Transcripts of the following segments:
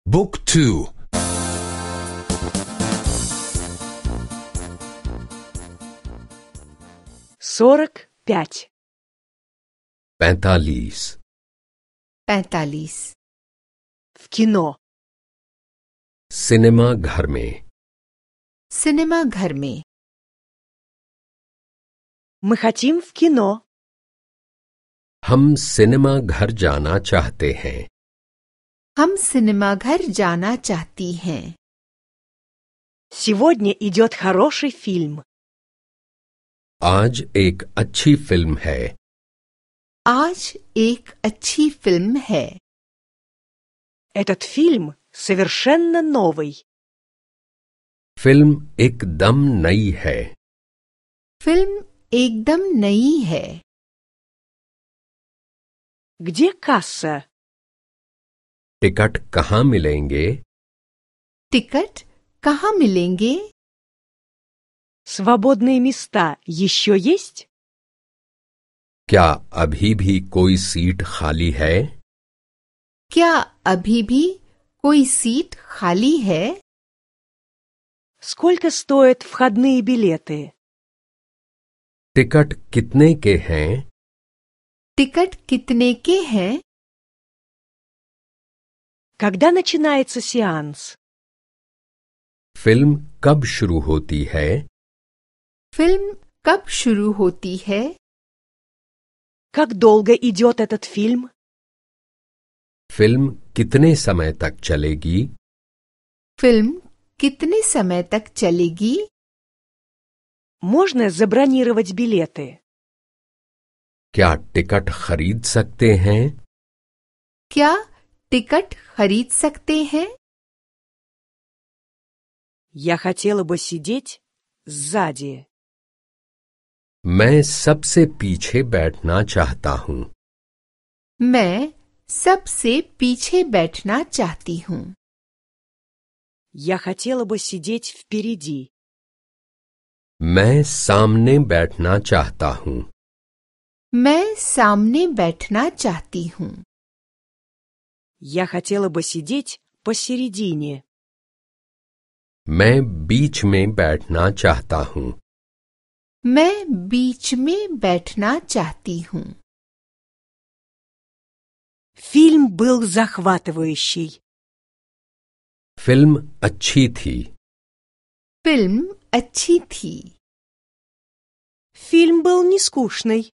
Book 2. 45. 45. 45. В кино. सिनेमा घर में. सिनेमा घर में. Мы хотим в кино. हम सिनेमा घर जाना चाहते हैं. हम सिनेमा घर जाना चाहती हैं. Сегодня идет хороший фильм. आज एक अच्छी फिल्म है. आज एक अच्छी फिल्म है. Этот фильм совершенно новый. फिल्म एकदम नई है. फिल्म एकदम नई है. Где касса? टिकट कहाँ मिलेंगे? टिकट कहाँ मिलेंगे? Свободные места еще есть? क्या अभी भी कोई सीट खाली है? क्या अभी भी कोई सीट खाली है? Сколько стоят входные билеты? टिकट कितने के हैं? टिकट कितने के हैं? Когда начинается сеанс? फिल्म कब शुरू होती है? फिल्म कब शुरू होती है? Как долго идет этот фильм? फिल्म कितने समय तक चलेगी? फिल्म कितने समय तक चलेगी? Можно забронировать билеты? क्या टिकट खरीद सकते हैं? क्या टिकट खरीद सकते हैं? Я хотела бы сидеть сзади. मैं सबसे पीछे बैठना चाहता हूँ. मैं सबसे पीछे बैठना चाहती हूँ. Я хотела бы сидеть впереди. मैं सामने बैठना चाहता हूँ. मैं सामने बैठना चाहती हूँ. Я хотела бы сидеть посередине. मैं बीच में बैठना चाहता हूँ. मैं बीच में बैठना चाहती हूँ. Фильм был захватывающий. फिल्म अच्छी थी. फिल्म अच्छी थी. Фильм был не скучный.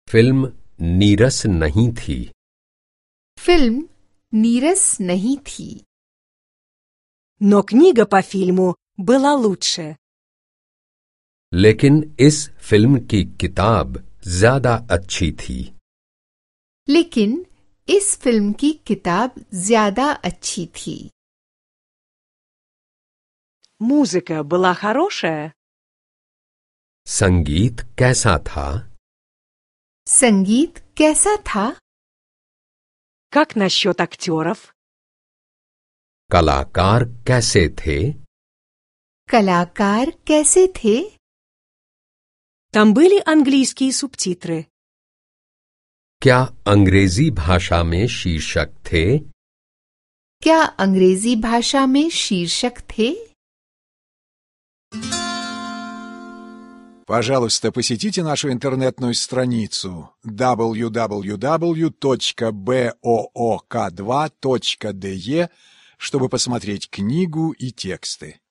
फिल्म नीरस नहीं थी. फिल्म नीरस नहीं थी. Но книга по фильму была лучше. लेकिन इस फिल्म की किताब ज्यादा अच्छी थी. लेकिन इस फिल्म की किताब ज्यादा अच्छी थी. Музыка была хорошая. संगीत कैसा था? संगीत कैसा था? Как насчет актеров? कलाकार कैसे थे? कलाकार कैसे थे? Там были английские субтитры. क्या अंग्रेजी भाषा में शीर्षक थे? क्या अंग्रेजी भाषा में शीर्षक थे? Пожалуйста, посетите нашу интернетную страницу www.book2.de, чтобы посмотреть книгу и тексты.